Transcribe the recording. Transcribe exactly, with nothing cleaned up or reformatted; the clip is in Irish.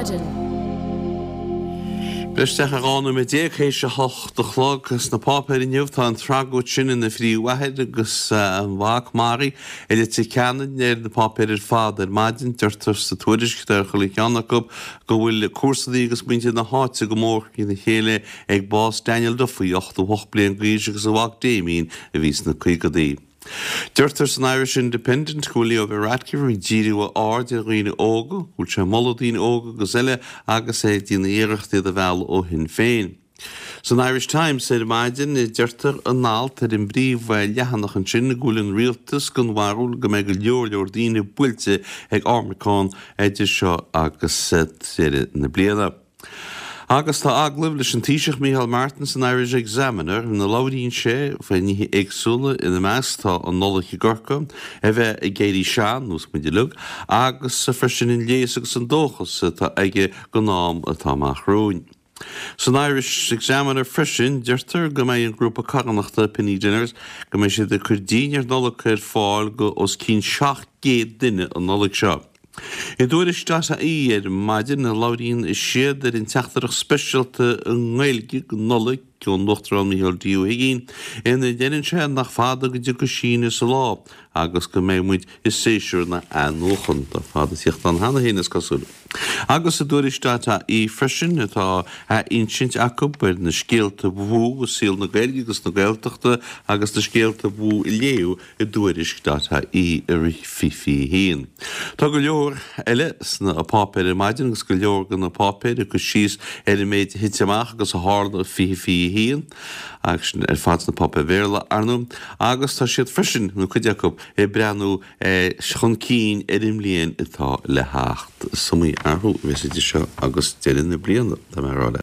Maidin. Breis isteach ar dhá nóiméad déag théis a hocht a chlog sna páipéir inniu tá an tragóid sin ina phríomhathair agus a mhac maraithe i Leitir Ceanainn ar na páipéir ar fad ar maidin. Deirtear sa tuairisc ar chuile cheann acu go bhfuil comharsana agus muintir na háite go mór trína chéile ag bás Daniel Duffy, ochtó hocht bliain d'aois agus a mhac Damien a bhí sna caogaidí. Deirtear san Irish Independent go bhfuil Leo Varadkar ag díriú a aird ar dhaoine óga, go bhfuil sé ag moladh daoine óga agus eile agus é ag déanamh iarracht iad a mhealladh ó Shinn Féin. San Irish Times ar maidin deirtear in alt ar an bpríomhleathanach ansin go bhfuil an rialtas den bharúil go mbeidh go leor leor daoine buailte ag Omicron idir seo agus deireadh na bliana. Agus tá agallamh leis an Taoiseach Micheál Martin san Irish Examiner ina labhraíonn sé faoi nithe éagsúla ina measc tá an Nollaig i gCorcaigh, a bheith ag éirí sean, nós muid uilig, agus freisin an léas agus an dóchas atá aige don am atá amach romhainn. San Irish Examiner freisin deirtear go mbeidh an grúpa carthanachta Penny Dinners go mbeidh siad ag cur dinnéar Nollag ar fáil go os cionn seacht gcéad duine an Nollaig seo. I dTuairisc dot ie ar maidin labhraíonn siad ar an teachtaireacht speisialta i nGaeilge don Nollaig ón Uachtarán Micheál D. Ó hUigínn ina ndeireann sé nach fada go dtiocfaidh síneadh sa lá agus go mbeidh muid i séasúr na hathnuachana. Tá fada ag tíocht ann cheana féin is cosúil. Agus i dTuairisc dot ie freisin tá athinsint acu ar na scéalta ba mhó i saol na Gaeilge agus na Gaeltachta agus na scéalta ba mhó a léadh i dTuairisc dot ie i rith fiche fiche a haon. Tá go leor eile sna páipéir ar maidin agus go leor de na páipéir ag cur síos ar an méid a thit amach agus a tharla i fiche fiche a haon, agus sin ar fad sna páipéir Bhéarla, ar ndóigh, agus tá siad freisin, nó cuid acu, ag breathnú chun cinn ar an mbliain atá le theacht. Is iomaí athrú a bheas idir seo agus deireadh na bliana, tá mé a rá leat.